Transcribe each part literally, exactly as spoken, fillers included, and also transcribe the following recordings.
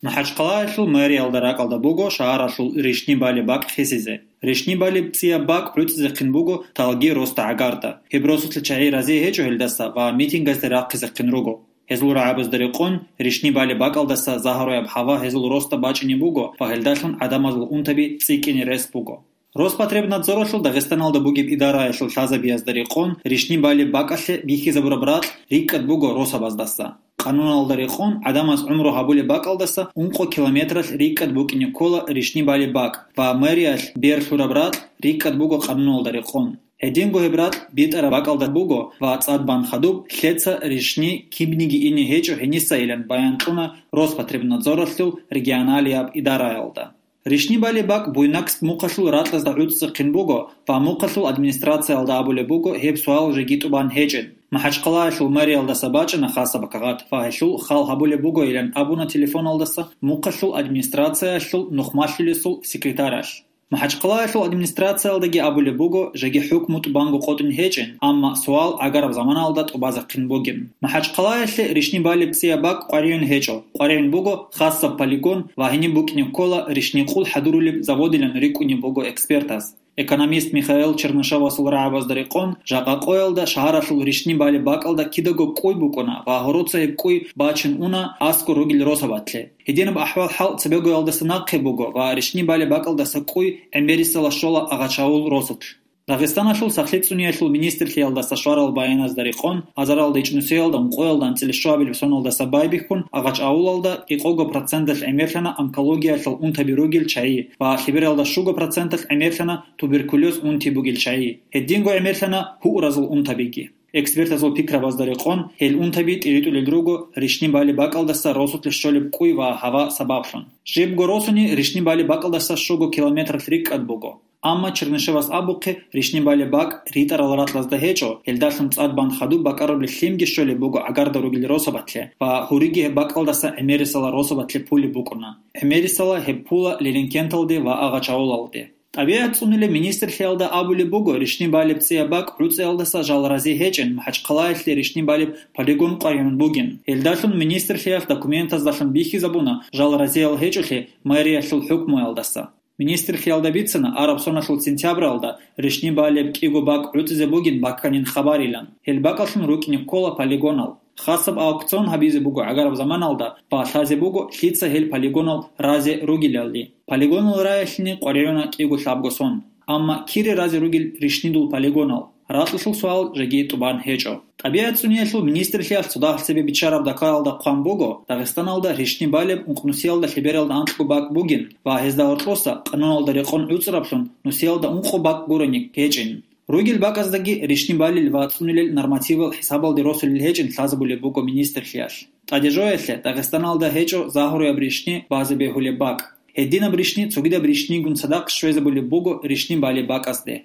МахӀачхъалаялъул мэриялда ракӀалда буго шагьаралъул ришни балеб бакӀ хисизе. Ришни балеб цӀияб бакӀ гӀуцӀизехъин буго талги росда гӀагарда. Гьеб росулъе чагӀи рази гьечӀо гьелдаса ва митингазде рахъизехъин руго. Гьезул рагӀабазда рекъон, ришни балеб бакӀалдаса загьаруяб гьава гьезул росда бачӀине буго ва гьелдалъун гӀадамазул унтаби цӀикӀкӀине рес буго. Роспотребнадзоралъул Дагъистаналда бугеб идараялъул лъазабиязда рекъон, ришни балеб бакӀалъе бихьизабураб ракь рикӀкӀад буго росабаздаса. Къануналда рекъон, гӀадамаз гӀумру гьабулеб бакӀалдаса ункъо километралъ рикӀкӀад букӀине ккола ришни балеб бакӀ ва мэриялъ бер лъураб ракь рикӀкӀад буго къануналда рекъон. Гьединго гьеб ракь битӀараб бакӀалда буго ва цӀад бан хадуб лъеца ришни кибниги ине гьечӀо гьенисайилан баян кьуна Роспотребнадзоралъул регионалияб идараялда. Ришни балеб бакӀ Буйнакск мухъалъул ракьазда гӀуцӀцӀехъин буго ва мухъалъул администрациялда абулеб буго гьеб суал жеги тӀубан гьечӀин. МахӀачхъалаялъул мэриялдаса бачӀана хасаб кагъат ва гьелъул хал гьабулеб бугойилан абуна телефоналдаса мухъалъул администрациялъул нухмалъулесул секретаралъ. МахӀачхъалаялъул администрациялдаги абулеб буго жеги хӀукму тӀубанго къотӀин гьечӀин, амма суал гӀагараб заманалда тӀубазехъин бугин. МахӀачхъалаялъе ришни балеб цӀияб бакӀ къваригӀун гьечӀо, къваригӀун буго хасаб полигон ва гьениб букӀине ккола ришни къул хӀадурулеб заводилан рикӀкӀунеб буго экспертаз. Экономист Михаил Чернышевасул рагӀабазда рекъон, жакъа къоялда шагьаралъул ришни балеб бакӀалда кидаго кӀуй букӀуна ва гьороца гьеб кӀуй бачин уна аскӀор ругел росабатлъе. Гьединаб ахӀвал-хӀал цебегоялдаса нахъе буго ва ришни балеб бакӀалдаса кӀуй гӀемерисела щола Агъачавул росулъ. Дагъистаналъул сахлъи цӀуниялъул министрлъиялдаса щварал баяназда рекъон, азаралда ичӀнусиялда ункъоялда анцӀила щуабилеб соналдаса байбихьун Агъачавулалда кӀикъого проценталъ гӀемерлъана онкологиялъул унтаби ругел чагӀи ва лъебералда щуго проценталъ гӀемерлъана туберкулез унти бугел чагӀи. Гьединго гӀемерлъана гьуразул унтабиги. Экспертазул пикрабазда рекъон, гьел унтаби тӀиритӀулел руго ришни балеб бакӀалдаса росулъе щолеб кӀуй ва гьава сабаблъун. Жибго росуни ришни балеб бакӀалдаса щуго километралъ рикӀкӀад буго. Амма Чернышевас абухъе, ришни балеб бакӀ ритӀарал ракьазда гьечӀо, гьелдалъун цӀад бан хадуб бакӀарулел лъимги щолеб буго гӀагарда ругел росабатлъе ва гьуриги гьеб бакӀалдаса гӀемерисела росабатлъе пулеб букӀуна. ГӀемерисела гьеб пула Леренкенталде ва Агъачавулалде. ТӀабигӀат цӀунулеб министрлъиялда абулеб буго, ришни балеб цӀияб бакӀ гӀуцӀиялдаса жал рази гьечӀин, МахӀачхъалаялъе ришни балеб полигон къваригӀун бугин. Гьелдалъун министрлъиялъ документаздалъун бихьизабуна жал разиял гьечӀолъи мэриялъул хӀукмуялдаса. Министрлъиялда бицана араб соналъул сентябралда ришни балеб кӀиго бакӀ гӀуцӀизе бугин бакканин хабарилан. Гьел бакӀалъун рукӀине ккола полигонал. Хасаб аукцион гьабизе буго гӀагараб заманалда ва лъазе буго лъица гьел полигонал разе ругелалли. Полигонал раялъине къваригӀуна кӀиго лъабго сон. Амма кире разе ругел ришнидул полигонал? Ракьалъул суал жеги тӀубан гьечӀо. ТӀабигӀат цӀуниялъул министрлъиялъ цо дагьал цебе биччараб дакаялда хъван буго, Дагъистаналда ришни балеб ункънусиялда лъебералда анкьго бакӀ бугин ва гьезда гьоркьоса, къануналда рекъон гӀуцӀраблъун, нусиялда ункъо бакӀ гурони гьечӀин. Ругел бакӀаздаги ришни балел ва цӀунилел нормативал хӀисабалде росулел гьечӀин лъазабулеб буго министрлъиялъ. ТӀаде жоялъе, Дагъистаналда гьечӀо загьруяб ришни базе бегьулеб бакӀ. Гьединаб ришни цогидаб ришнигун цадахъ щвезабулеб буго ришни балеб бакӀазде.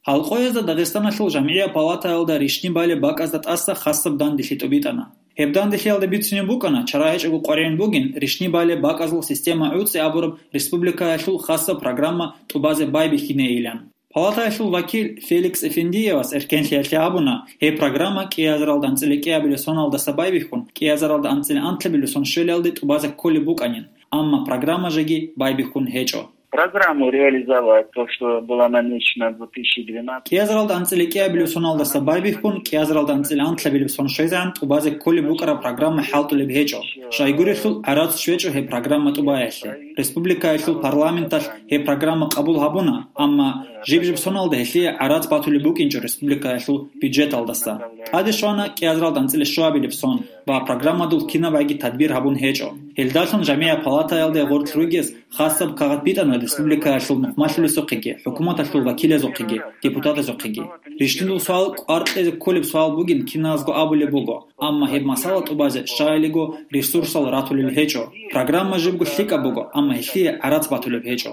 Гьалкъоязда Дагъистаналъул жамгӀияб палатаялда ришни балеб бакӀазда тӀаса хасаб данделъи тӀубитӀана. Гьеб данделъиялда бицунеб букӀана, чара гьечӀого къваригӀун бугин ришни балеб бакӀазул система гӀуцӀи абураб республикаялъул хасаб программа тӀубазе байбихьинейилан. Палатаялъул вакил Феликс Эфендиевас эркенлъиялъе абуна, гьеб программа кӀиазаралда анцӀила кӀиабилеб соналдаса байбихьун, кӀиазаралда анцӀила анлъабилеб сон щвелалде тӀубазе кколеб букӀанин, амма программа жеги байбихьун гьечӀо. Программу реализовать, то, что была намечена в две тысячи двенадцатом. КӀиазаралда анцӀила кӀиабилеб соналдаса байбихьун, кӀиазаралда анцӀила анлъабилеб сон щвезегӀан тӀубазе кколеб букӀараб программа хӀалтӀулеб гьечӀо. Щайгурелъул гӀарац щвечӀо гьеб программа тӀубаялъе. Республикаялъул парламенталъ гьеб программа къабул гьабуна, амма жиб-жиб соналда гьелъие гӀарац батулеб букӀинчӀо республикаялъул бюджеталдаса. ТӀаде щвана кӀиазаралда анцӀила щуабилеб сон ва программадул кинабгӀаги тадбир гьабун гьечӀо. Гьелдалъун жамгӀияб палатаялде гъоркь ругез хасаб кагъат битӀана республикаялъул нухмалъулесухъеги, хӀукуматалъул вакилазухъеги, депутатазухъеги. Ришнидул суал кӀвар кьезе кколеб суал бугин киназго абулеб буго, амма гьеб масала тӀубазе щаялиго ресурсал ратулел гьечӀо. Программа жибго лъикӀаб буго, амма гьелъие гӀарац батулеб гьечӀо.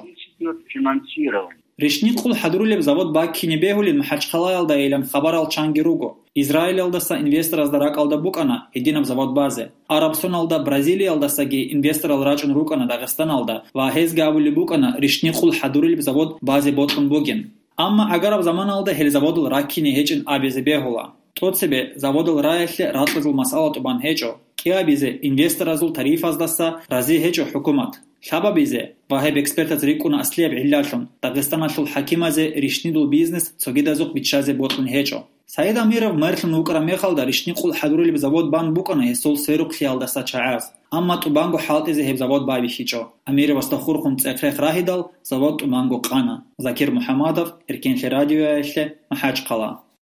Финансирование. Ришни къул хӀадурулеб завод баккине бегьулин МахӀачхъалаялдайилан хабарал чанги руго. Израилалдаса инвесторазда ракӀалда букӀана гьединаб завод базе. Араб соналда Бразилиялдасаги инвесторал рачӀун рукӀана Дагъистаналда ва гьезги абулеб букӀана ришни къул хӀадурулеб завод базе бокьун бугин. Амма гӀагараб заманалда гьел заводал раккине гьечӀин абизе бегьула. ТӀоцебе заводал раялъе ракьазул масъала тӀубан гьечӀо. Кьабизе инвесторазул тарифаздаса рази гьечӀо хӀукумат. Лъабабизе ва гьеб экспертаз рикӀкӀуна аслияб гӀиллалъун, Дагъистаналъул хӀакимазе рищнидул бизнес цогидазухъ биччазе бокьун гьечӀо. Саид Амиров мэрлъун вукӀараб мехалда рищни къул хӀадурулеб завод бан букӀана гьесул сверухълъиялдаса чагӀаз, амма тӀубанго хӀалтӀизе гьеб завод байбихьичӀо. Амировасда хурхун цӀех-рех рагьидал, завод тӀубанго къана. Закир МухӀамадов, Эркенлъи радиоялъе, МахӀачхъала.